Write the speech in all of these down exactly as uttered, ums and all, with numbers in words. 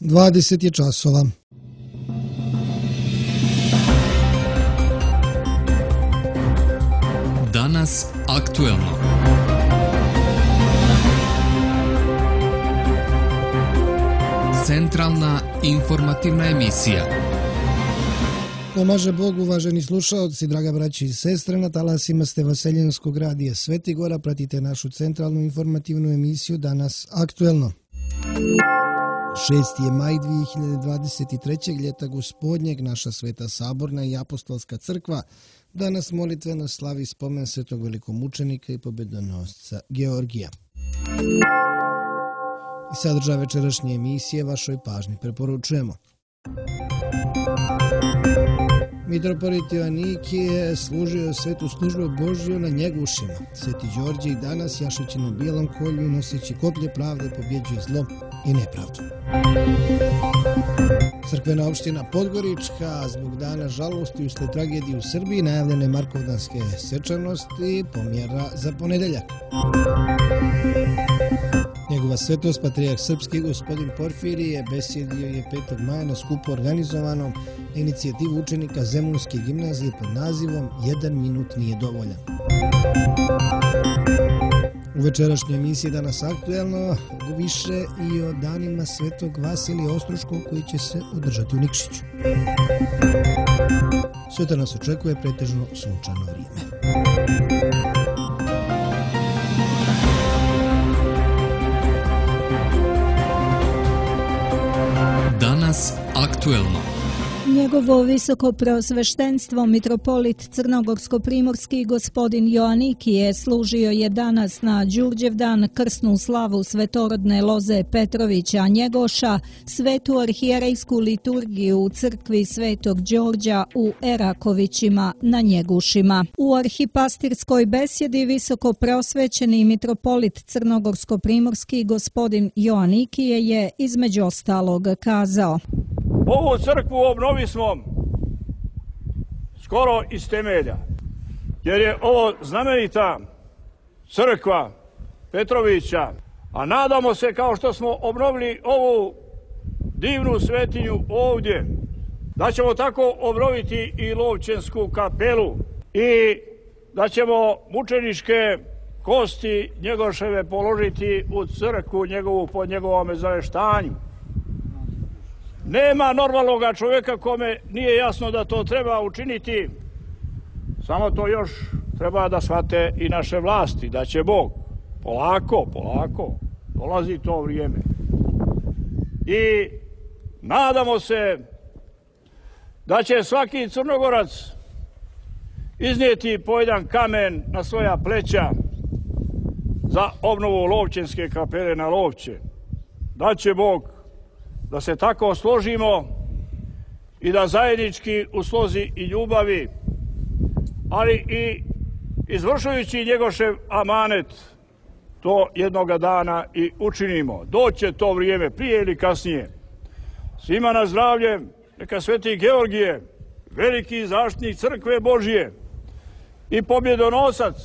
dvadeset je časova. Danas aktuelno. Centralna informativna emisija. Pomaže Bog, uvaženi slušaoci, draga braći i sestre, na talasima ste Vaseljenskog radija Sveti Gora, pratite našu centralnu informativnu emisiju Danas aktuelno. šesti je maj dvije hiljade dvadeset trećeg. ljeta gospodnjeg, naša Sveta Saborna i Apostolska crkva danas molitveno slavi spomen svetog velikomučenika i pobedonosca Georgija. I sadržaj večerašnje emisije vašoj pažnji preporučujemo. Mitropolit Joanikije služio svetu službu Božju na Njegušima. Sveti Đorđe i danas jašeći na bijelom kolju i noseći koplje pravde pobjeđuje zlo i nepravdu. Crkvena opština Podgorička zbog dana žalosti usled tragedije u Srbiji najavljene markovdanske svečanosti pomjera za ponedeljak. Njegova svetost, patrijarh srpski gospodin Porfirije, besjedio je petog maja na skupu organizovanom na inicijativu učenika Zemunske gimnazije pod nazivom Jedan minut nije dovoljan. U večerašnjoj emisiji Danas aktuelno više i o danima svetog Vasilija Ostroškog koji će se održati u Nikšiću. Sutra nas očekuje pretežno sunčano vrijeme. Danas aktuelno. Njegovo visoko preosveštenstvo mitropolit Crnogorsko-primorski gospodin Joanikije služio je danas na Đurđevdan krsnu slavu svetorodne loze Petrovića Njegoša, svetu arhijerejsku liturgiju u crkvi Svetog Đorđa u Erakovićima na Njegušima. U arhipastirskoj besjedi visoko preosvećeni mitropolit Crnogorsko-primorski gospodin Joanikije je između ostalog kazao: Ovu crkvu obnovi smo skoro iz temelja, jer je ovo znamenita crkva Petrovića, a nadamo se kao što smo obnovili ovu divnu svetinju ovdje, da ćemo tako obnoviti i Lovćensku kapelu i da ćemo mučeničke kosti Njegoševe položiti u crkvu njegovu po njegovome zaveštanju. Nema normalnog čovjeka kome nije jasno da to treba učiniti, samo to još treba da shvate i naše vlasti, da će Bog polako, polako, dolazi to vrijeme. I nadamo se da će svaki Crnogorac iznijeti po jedan kamen na svoja pleća za obnovu Lovćenske kapele na Lovće. Da će Bog da se tako složimo i da zajednički u slozi i ljubavi, ali i izvršujući Njegošev amanet, to jednoga dana i učinimo. Doće to vrijeme, prije ili kasnije. Svima na zdravlje, neka sveti Georgije, veliki zaštitnik crkve Božije i pobjedonosac,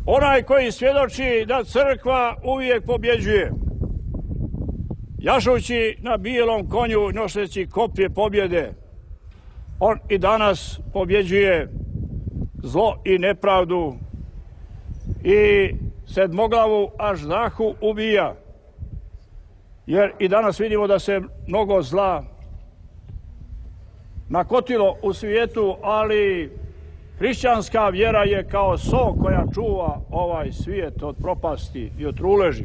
onaj koji svjedoči da crkva uvijek pobjeđuje, jašući na bijelom konju, noseći koplje pobjede, on i danas pobjeđuje zlo i nepravdu i sedmoglavu aždahu ubija. Jer i danas vidimo da se mnogo zla nakotilo u svijetu, ali hrišćanska vjera je kao so koja čuva ovaj svijet od propasti i od truleži.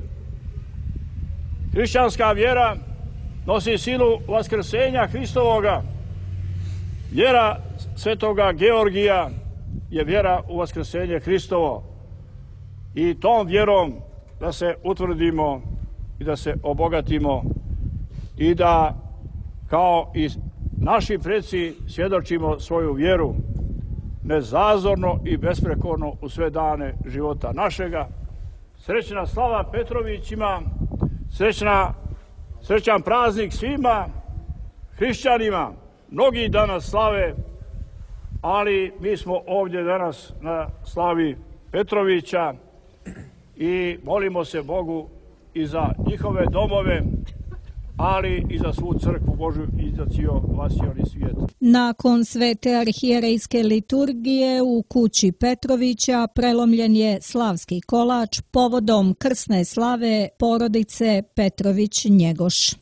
Hrišćanska vjera nosi silu vaskrsenja Hristovoga. Vjera svetoga Georgija je vjera u vaskrsenje Hristovo. I tom vjerom da se utvrdimo i da se obogatimo i da kao i naši preci svjedočimo svoju vjeru nezazorno i besprekorno u sve dane života našega. Srećna slava Petrovićima, srećna, srećan praznik svima hrišćanima. Mnogi danas slave, ali mi smo ovdje danas na slavi ali i za svu crkvu Božju i za cijel vasioni svijet. Nakon svete arhijerejske liturgije u kući Petrovića prelomljen je slavski kolač povodom krsne slave porodice Petrović-Njegoš.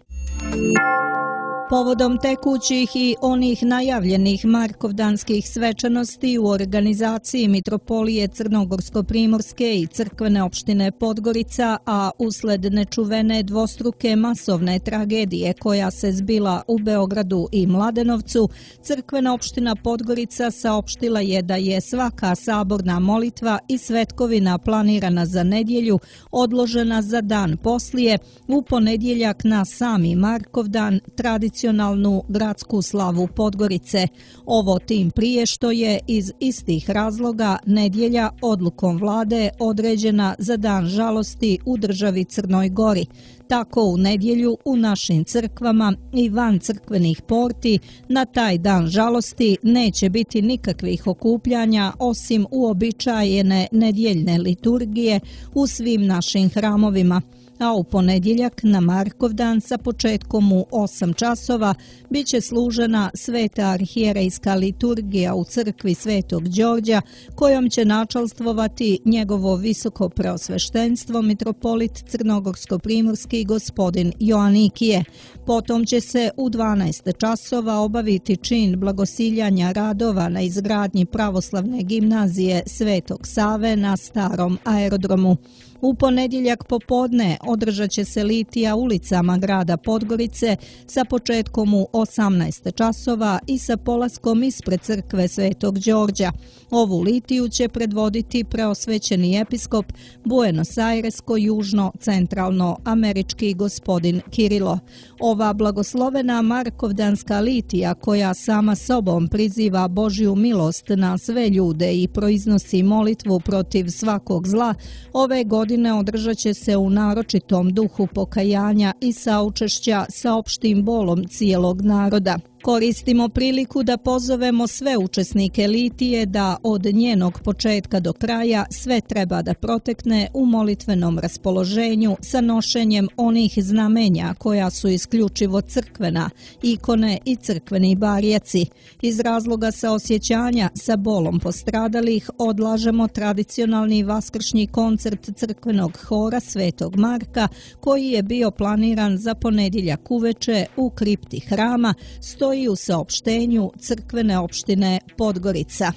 Povodom tekućih i onih najavljenih Markovdanskih svečanosti u organizaciji Mitropolije Crnogorsko-primorske i crkvene opštine Podgorica, a usled nečuvene dvostruke masovne tragedije koja se zbila u Beogradu i Mladenovcu, crkvena opština Podgorica saopštila je da je svaka saborna molitva i svetkovina planirana za nedjelju odložena za dan poslije, u ponedjeljak na sami Markovdan, tradicionalno tradicionalnu gradsku slavu Podgorice. Ovo tim prije što je iz istih razloga nedjelja odlukom vlade određena za dan žalosti u državi Crnoj Gori. Tako u nedjelju u našim crkvama i van crkvenih porti na taj dan žalosti neće biti nikakvih okupljanja osim uobičajene nedjeljne liturgije u svim našim hramovima. A u ponedjeljak na Markovdan sa početkom u osam časova bit će služena sveta arhijerejska liturgija u crkvi Svetog Đorđa, kojom će načalstvovati njegovo visoko preosveštenstvo mitropolit Crnogorsko-primorski gospodin Joanikije. Potom će se u dvanaest časova obaviti čin blagosiljanja radova na izgradnji pravoslavne gimnazije Svetog Save na starom aerodromu. U ponedjeljak popodne održat će se litija ulicama grada Podgorice sa početkom u osamnaest časova i sa polaskom ispred crkve Svetog Đorđa. Ovu litiju će predvoditi preosvećeni episkop Buenos Airesko-južno-centralno američki gospodin Kirilo. Ova blagoslovena Markovdanska litija, koja sama sobom priziva Božju milost na sve ljude i proiznosi molitvu protiv svakog zla, ove godine održat će se u naročitom duhu pokajanja i saučešća sa opštim bolom cijelog naroda. Koristimo priliku da pozovemo sve učesnike litije da od njenog početka do kraja sve treba da protekne u molitvenom raspoloženju sa nošenjem onih znamenja koja su isključivo crkvena, ikone i crkveni barjaci. Iz razloga saosjećanja sa bolom postradalih odlažemo tradicionalni vaskršnji koncert crkvenog hora Svetog Marka koji je bio planiran za ponedjeljak uveče u kripti hrama, stoji i u saopštenju crkvene opštine Podgorica.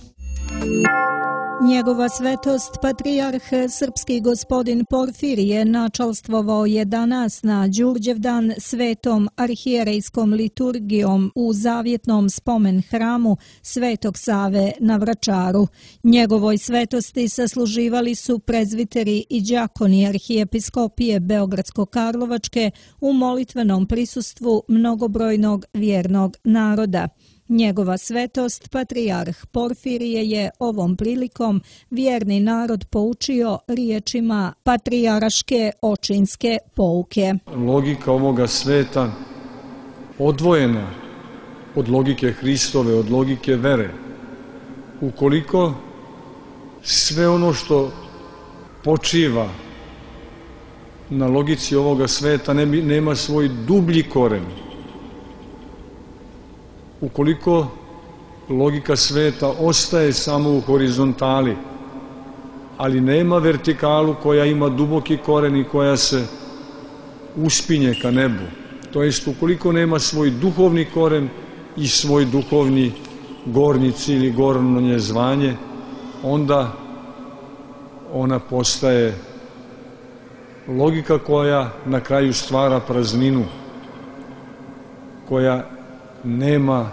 Njegova svetost patrijarh srpski gospodin Porfirije načalstvovao je danas na Đurđevdan svetom arhijerejskom liturgijom u zavjetnom spomen hramu Svetog Save na Vračaru. Njegovoj svetosti sasluživali su prezviteri i đakoni arhijepiskopije Beogradsko-Karlovačke u molitvenom prisustvu mnogobrojnog vjernog naroda. Njegova svetost, patrijarh Porfirije, je ovom prilikom vjerni narod poučio riječima patrijaraške očinske pouke. Logika ovoga sveta odvojena od logike Hristove, od logike vere. Ukoliko sve ono što počiva na logici ovoga sveta nema svoj dublji koren, ukoliko logika sveta ostaje samo u horizontali, ali nema vertikalu koja ima duboki koren i koja se uspinje ka nebu, to jest ukoliko nema svoj duhovni koren i svoj duhovni gornji cilj ili gornje zvanje, onda ona postaje logika koja na kraju stvara prazninu, koja nema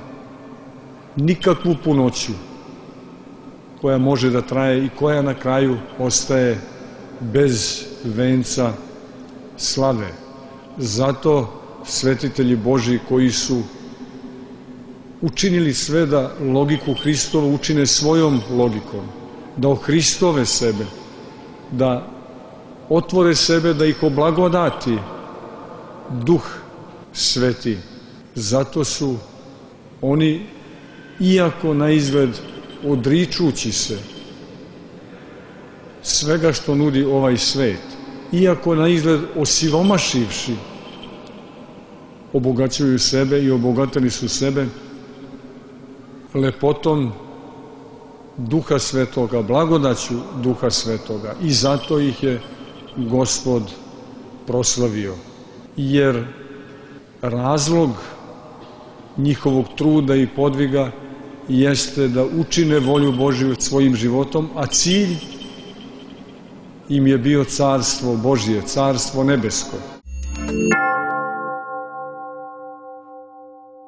nikakvu punoću, koja može da traje i koja na kraju ostaje bez venca slave. Zato svetitelji Božji koji su učinili sve da logiku Hristovu učine svojom logikom, da ohristove sebe, da otvore sebe, da ih oblagodati Duh Sveti. Zato su oni, iako na izgled odričući se svega što nudi ovaj svet, iako na izgled osiromašivši obogaćuju sebe i obogatili su sebe lepotom Duha Svetoga, blagodaću Duha Svetoga i zato ih je Gospod proslavio. Jer razlog njihovog truda i podviga jeste da učine volju Božju svojim životom, a cilj im je bio carstvo Božje, carstvo nebesko.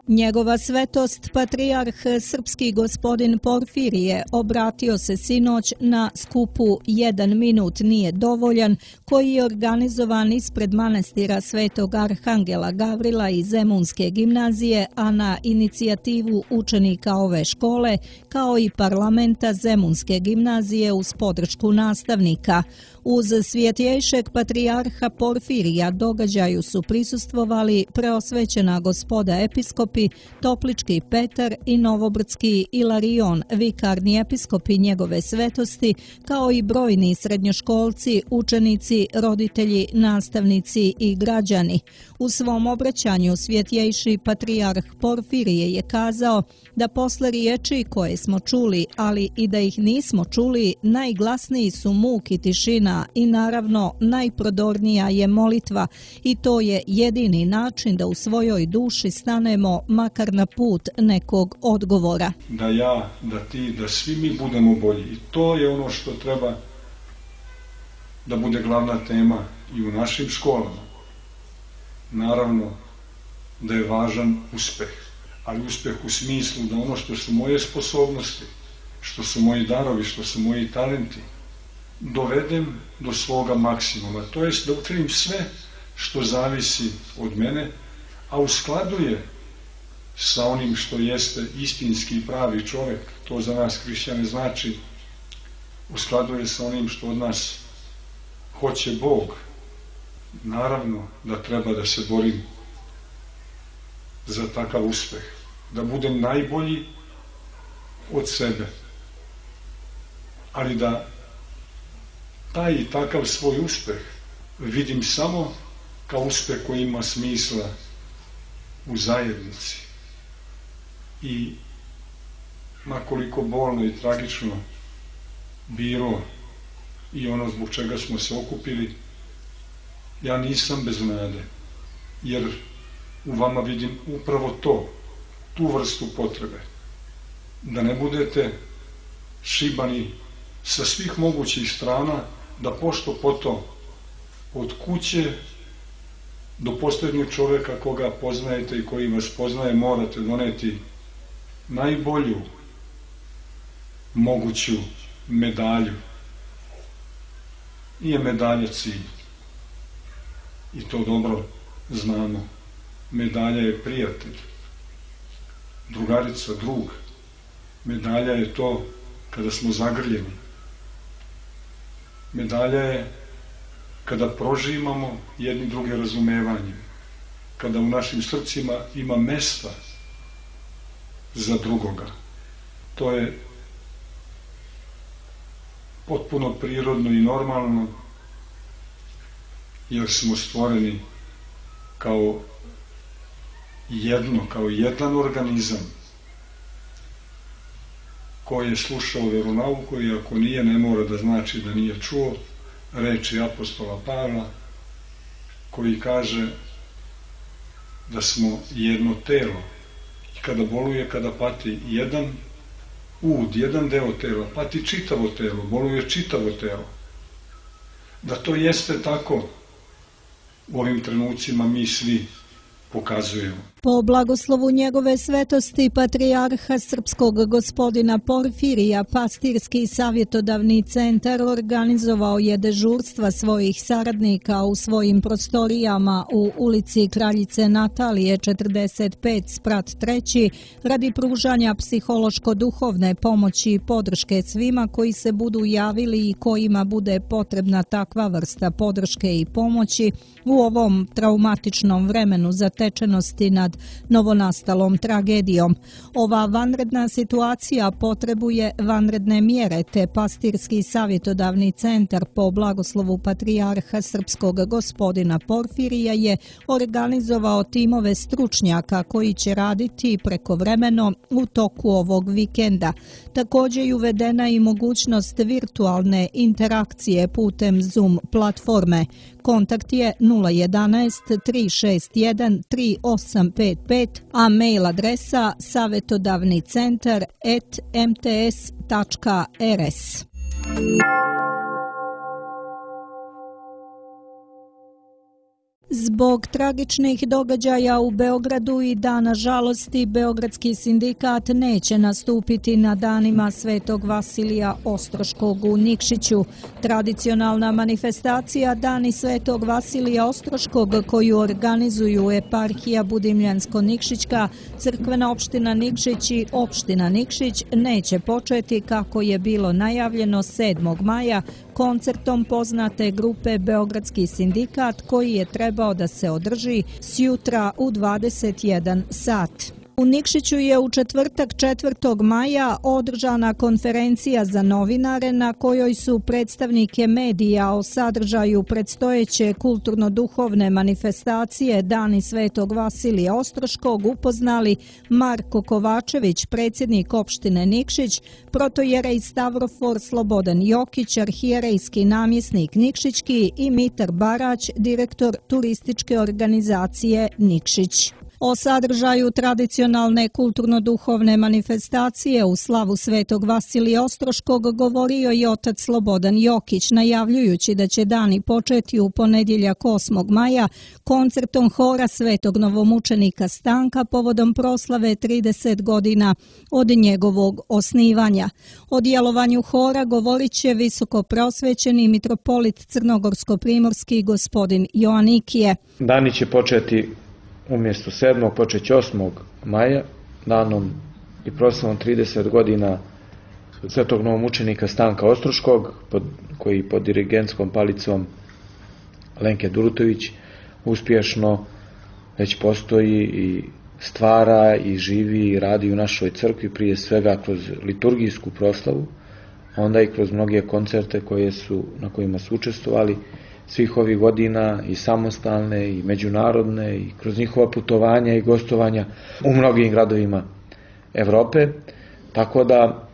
Njegova svetost, patrijarh srpski gospodin Porfirije, obratio se sinoć na skupu Jedan minut nije dovoljan, koji je organizovan ispred manastira Svetog Arhangela Gavrila i Zemunske gimnazije, a na inicijativu učenika ove škole, kao i parlamenta Zemunske gimnazije uz podršku nastavnika. Uz svjetjejšeg patrijarha Porfirija događaju su prisustvovali preosvećena gospoda episkopi, Toplički Petar i Novobrdski Ilarion, vikarni episkopi njegove svetosti, kao i brojni srednjoškolci, učenici, roditelji, nastavnici i građani. U svom obraćanju svjetjejši patrijarh Porfirije je kazao da posle riječi koje smo čuli, ali i da ih nismo čuli, najglasniji su muk i tišina i naravno najprodornija je molitva i to je jedini način da u svojoj duši stanemo makar na put nekog odgovora. Da ja, da ti, da svi mi budemo bolji i to je ono što treba da bude glavna tema i u našim školama. Naravno da je važan uspeh, ali uspeh u smislu da ono što su moje sposobnosti, što su moji darovi, što su moji talenti, dovedem do svoga maksimuma. To jest da učinim sve što zavisi od mene, a u skladu je sa onim što jeste istinski i pravi čovjek. To za nas hrišćane znači u skladu je sa onim što od nas hoće Bog. Naravno da treba da se borim za takav uspeh, da budem najbolji od sebe, ali da taj i takav svoj uspeh vidim samo kao uspeh koji ima smisla u zajednici. I makoliko bolno i tragično bilo i ono zbog čega smo se okupili, ja nisam bez nade, jer u vama vidim upravo to, tu vrstu potrebe, da ne budete šibani sa svih mogućih strana, da pošto poto od kuće do posljednjeg čovjeka koga poznajete i koji vas poznaje morate doneti najbolju moguću medalju. Nije medalja cilj. I to dobro znamo. Medalja je prijatelj, drugarica, drug. Medalja je to kada smo zagrljeni. Medalja je kada prožimamo jedni druge razumevanjem, kada u našim srcima ima mesta za drugoga. To je potpuno prirodno i normalno, jer smo stvoreni kao jedno, kao jedan organizam koji je slušao veronauku i ako nije, ne mora da znači da nije čuo reči apostola Pavla, koji kaže da smo jedno telo i kada boluje, kada pati jedan ud, jedan deo tela, pati čitavo telo, boluje čitavo telo. Da to jeste tako, u ovim trenucima mi svi pokazujemo. Po blagoslovu njegove svetosti patrijarha srpskog gospodina Porfirija, Pastirski savjetodavni centar organizovao je dežurstva svojih saradnika u svojim prostorijama u ulici Kraljice Natalije četrdeset pet sprat treći radi pružanja psihološko-duhovne pomoći i podrške svima koji se budu javili i kojima bude potrebna takva vrsta podrške i pomoći u ovom traumatičnom vremenu za stečenosti nad novonastalom tragedijom. Ova vanredna situacija potrebuje vanredne mjere, te Pastirski savjetodavni centar po blagoslovu patrijarha srpskog gospodina Porfirija je organizovao timove stručnjaka koji će raditi prekovremeno u toku ovog vikenda. Također je uvedena i mogućnost virtualne interakcije putem Zoom platforme. Kontakt je nula jedanaest tri šest jedan tri osam pet pet, a mail adresa savjetodavni centar at m t s tačka r s. Zbog tragičnih događaja u Beogradu i Dana žalosti, Beogradski sindikat neće nastupiti na danima Svetog Vasilija Ostroškog u Nikšiću. Tradicionalna manifestacija Dani Svetog Vasilija Ostroškog koju organizuju eparhija Budimljansko-Nikšićka, crkvena opština Nikšić i opština Nikšić neće početi kako je bilo najavljeno sedmog maja koncertom poznate grupe Beogradski sindikat koji je trebao da se održi sjutra u dvadeset jedan sat. U Nikšiću je u četvrtak četvrtog maja održana konferencija za novinare na kojoj su predstavnike medija o sadržaju predstojeće kulturno-duhovne manifestacije Dani Svetog Vasilija Ostroškog upoznali Marko Kovačević, predsjednik opštine Nikšić, protojerej Stavrofor Slobodan Jokić, arhijerejski namjesnik Nikšićki i Mitar Barać, direktor turističke organizacije Nikšić. O sadržaju tradicionalne kulturno-duhovne manifestacije u slavu Svetog Vasilija Ostroškog govorio i otac Slobodan Jokić, najavljujući da će dani početi u ponedjeljak osmog maja koncertom hora Svetog novomučenika Stanka povodom proslave trideset godina od njegovog osnivanja. O djelovanju hora govorit će visoko prosvećeni mitropolit crnogorsko-primorski gospodin Joanikije. Dani će početi umjesto sedmog počeće osmog maja, danom i proslavom trideset godina Svetog novomučenika Stanka Ostroškog, pod, koji pod dirigentskom palicom Lenke Durutović uspješno već postoji i stvara i živi i radi u našoj crkvi, prije svega kroz liturgijsku proslavu, onda i kroz mnoge koncerte koje su, na kojima su učestvovali svih ovih godina, i samostalne i međunarodne, i kroz njihova putovanja i gostovanja u mnogim gradovima Evrope. Tako da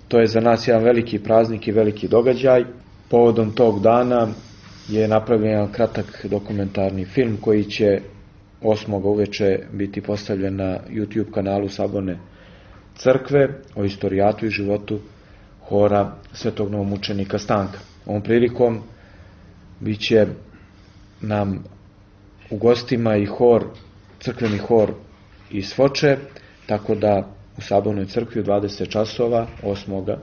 to je za nas jedan veliki praznik i veliki događaj. Povodom tog dana je napravljen jedan kratak dokumentarni film koji će osmog uveče biti postavljen na YouTube kanalu Saborne crkve o istorijatu i životu hora Svetog novomučenika Stanka. Ovom prilikom biće nam u gostima i hor, crkveni hor iz Foče, tako da u Sabornoj crkvi u dvadeset časova osmoga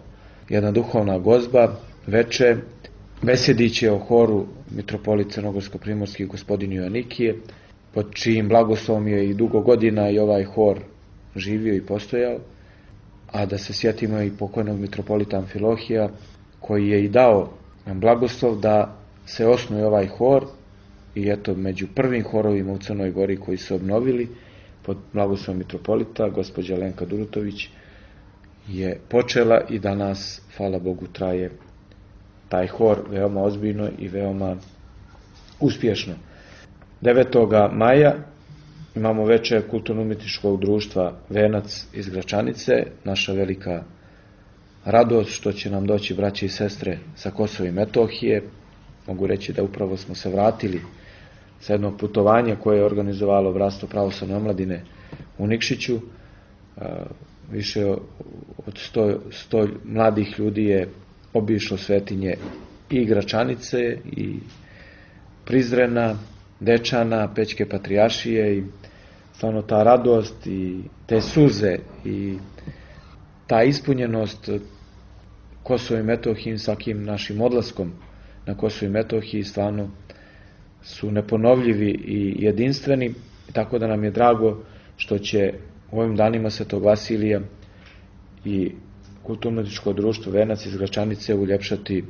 jedna duhovna gozba veče besjedit će o horu mitropolit crnogorsko-primorski gospodin Joanikije, pod čijim blagoslovom je i dugo godina i ovaj hor živio i postojao, a da se sjetimo i pokojnog mitropolita Amfilohija, koji je i dao nam blagoslov da se osnuje ovaj hor, i eto među prvim horovima u Crnoj Gori koji su obnovili pod blagoslovom mitropolita, gospođa Lenka Durutović je počela i danas, hvala Bogu, traje taj hor veoma ozbiljno i veoma uspješno. devetoga maja imamo večer kulturno-umjetničkog društva Venac iz Gračanice, naša velika radost što će nam doći braće i sestre sa Kosova i Metohije. Mogu reći da upravo smo se vratili sa jednog putovanja koje je organizovalo Bratstvo pravoslavne omladine u Nikšiću. Više od sto mladih ljudi je obišlo svetinje i Gračanice i Prizrena, Dečana, Pećke patrijaršije, i stvarno ta radost i te suze i ta ispunjenost Kosova i Metohije svakim našim odlaskom na Kosovo i Metohiji stvarno su neponovljivi i jedinstveni, tako da nam je drago što će u ovim danima Svetog Vasilija i kulturno-umjetničko društvo Venac iz Gračanice uljepšati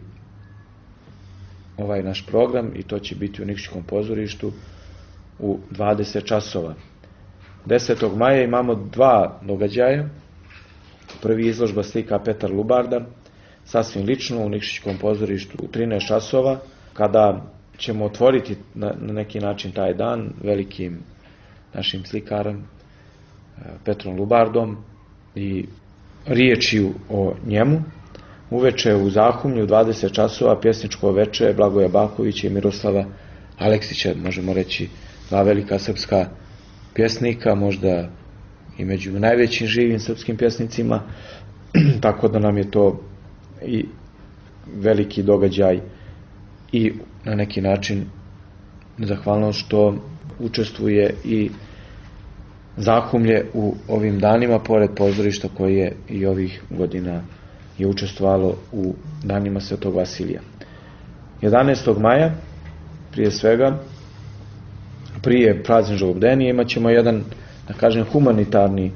ovaj naš program, i to će biti u Nikšićkom pozorištu u dvadeset časova. desetog maja imamo dva događaja. Prvi izložba slika Petar Lubarda, sasvim lično u Nikšićkom pozorištu u trinaest časova, kada ćemo otvoriti na, na neki način taj dan velikim našim slikarom Petrom Lubardom i riječju o njemu. Uveče u Zahumlju u dvadeset časova pjesničko veče Blagoja Bakovića i Miroslava Aleksića, možemo reći dva velika srpska pjesnika, možda i među najvećim živim srpskim pjesnicima, tako da nam je to i veliki događaj i na neki način zahvalnost što učestvuje i Zahumlje u ovim danima, pored pozorišta koje i ovih godina je učestvovalo u danima Svetog Vasilija. jedanaestog maja, prije svega, prije prazničnog bdenija, imat ćemo jedan, da kažem, humanitarni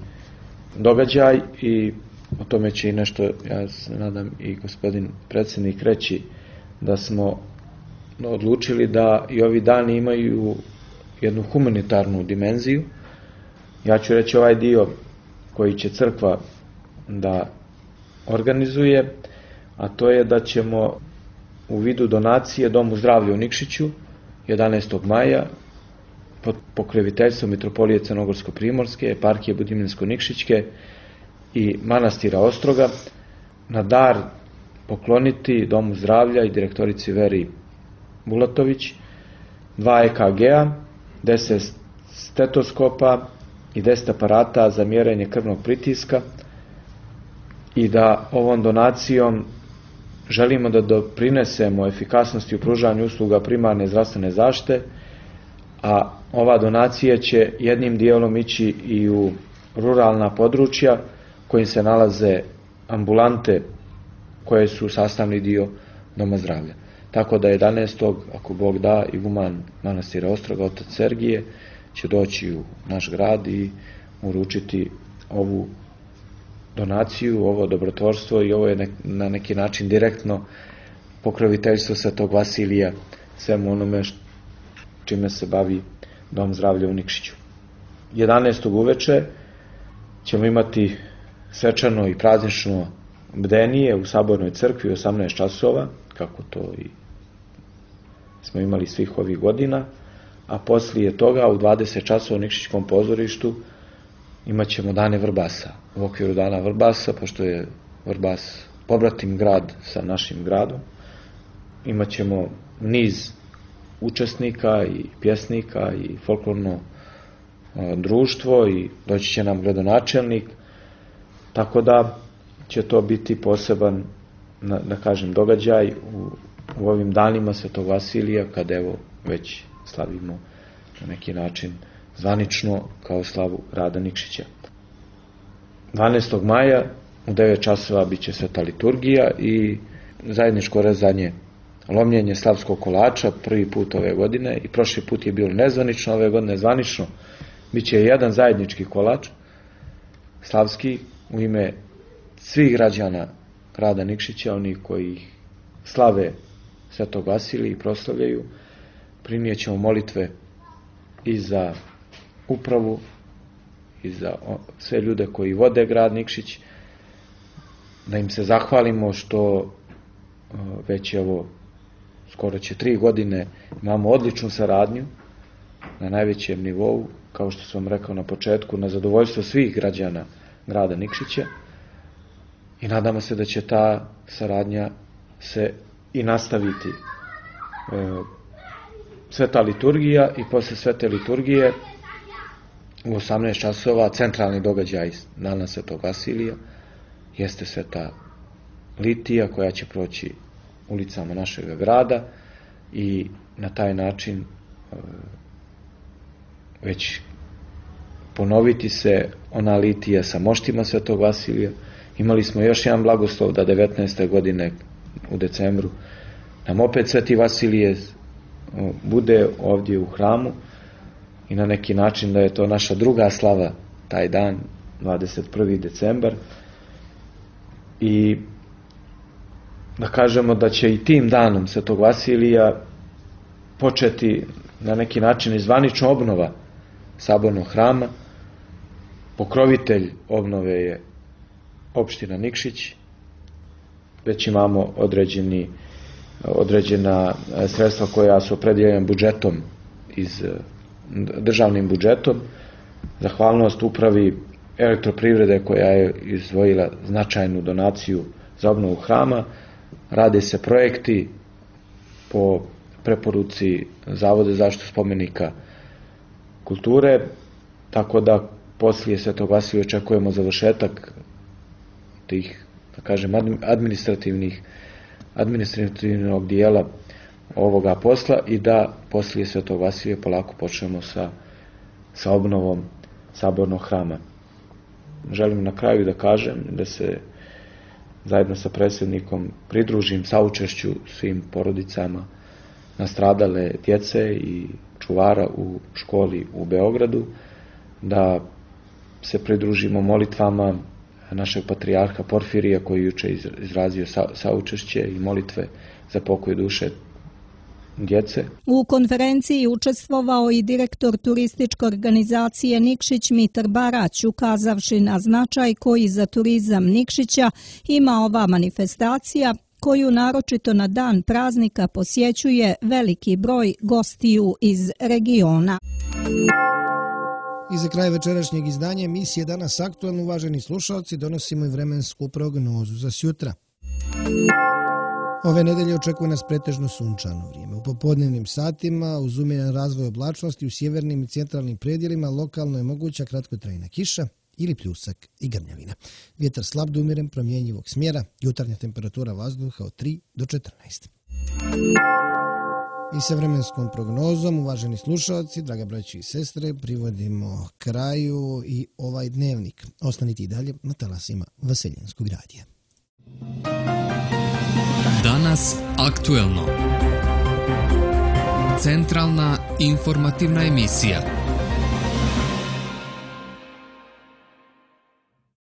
događaj i o tome će i nešto, ja se nadam, i gospodin predsjednik reći, da smo odlučili da i ovi dani imaju jednu humanitarnu dimenziju. Ja ću reći ovaj dio koji će crkva da organizuje, a to je da ćemo u vidu donacije Domu zdravlja u Nikšiću jedanaestog maja pod pokroviteljstvom Mitropolije Crnogorsko-primorske, eparhije Budimljensko-Nikšićke i manastira Ostroga na dar pokloniti Domu zdravlja i direktorici Veri Bulatović dva E K G-a, deset stetoskopa i deset aparata za mjerenje krvnog pritiska i da ovom donacijom želimo da doprinesemo efikasnosti u pružanju usluga primarne zdravstvene zaštite, a ova donacija će jednim dijelom ići i u ruralna područja kojim se nalaze ambulante koje su sastavni dio Doma zdravlja. Tako da jedanaestog ako Bog da, iguman manastira Ostroga, otac Sergije, će doći u naš grad i uručiti ovu donaciju, ovo dobrotvorstvo i ovo je na neki način direktno pokroviteljstvo Svetog Vasilija svemu onome čime se bavi Dom zdravlja u Nikšiću. jedanaestog uveče ćemo imati svečano i praznično bdenije u Sabornoj crkvi u osamnaest časova, kako to i smo imali svih ovih godina, a poslije toga u dvadeset časova u Nikšićkom pozorištu imat ćemo dane Vrbasa. U okviru dana Vrbasa, pošto je Vrbas pobratim grad sa našim gradom, imat ćemo niz učesnika i pjesnika i folklorno društvo i doći će nam gradonačelnik, tako da će to biti poseban, da kažem, događaj u, u ovim danima Svetog Vasilija, kada evo već slavimo na neki način zvanično kao slavu grada Nikšića. dvanaestog maja u devet časova bit će sveta liturgija i zajedničko rezanje, lomljenje slavskog kolača prvi put ove godine i prošli put je bilo nezvanično, ove godine zvanično. Biće jedan zajednički kolač slavski u ime svih građana grada Nikšića, oni koji slave Svetog Vasilija i proslavljaju. Prinijet ćemo molitve i za upravu i za sve ljude koji vode grad Nikšić, da im se zahvalimo što već evo skoro će tri godine imamo odličnu saradnju na najvećem nivou, kao što sam rekao na početku, na zadovoljstvo svih građana grada Nikšića i nadamo se da će ta saradnja se i nastaviti. Sveta liturgija i posle svete liturgije u osamnaest časova centralni događaj dana Svetog Vasilija jeste sveta litija koja će proći ulicama našeg grada i na taj način već ponoviti se ona litija sa moštima Svetog Vasilija. Imali smo još jedan blagoslov da devetnaeste godine u decembru nam opet Sveti Vasilije bude ovdje u hramu i na neki način da je to naša druga slava taj dan, dvadeset prvi decembar, i da kažemo da će i tim danom Svetog Vasilija početi na neki način i zvanična obnova sabornog hrama. Pokrovitelj obnove je opština Nikšić. Već imamo određeni, određena sredstva koja su opredeljena budžetom, iz državnim budžetom. Zahvalnost upravi Elektroprivrede koja je izdvojila značajnu donaciju za obnovu hrama. Rade se projekti po preporuci Zavoda za zaštitu spomenika kulture, tako da poslije Svetog Vasilija očekujemo završetak tih, da kažem, administrativnih administrativnog dijela ovoga posla i da poslije Svetog Vasilija polako počnemo sa, sa obnovom sabornog hrama. Želim na kraju da kažem da se zajedno sa predsjednikom pridružim saučešću svim porodicama nastradale djece i čuvara u školi u Beogradu, da se pridružimo molitvama našeg patrijarha Porfirija koji juče izrazio saučešće i molitve za pokoj duše djece. U konferenciji učestvovao i direktor turističke organizacije Nikšić Mitar Barać, ukazavši na značaj koji za turizam Nikšića ima ova manifestacija, koju naročito na dan praznika posjećuje veliki broj gostiju iz regiona. I za kraj večerašnjeg izdanja emisije Danas aktuelno, uvaženi slušalci, donosimo i vremensku prognozu za sjutra. Ove nedelje očekuje nas pretežno sunčano vrijeme. U popodnevnim satima, uz umjeran razvoj oblačnosti u sjevernim i centralnim predjelima, lokalno je moguća kratkotrajna kiša ili pljusak i grmljavina. Vjetar slab do umjeren, promjenjivog smjera, jutarnja temperatura vazduha od tri do četrnaest. I sa vremenskom prognozom, uvaženi slušalci, draga braći i sestre, privodimo kraju i ovaj dnevnik. Ostanite i dalje na talasima Vaseljenskog radija. Danas aktuelno. Centralna informativna emisija.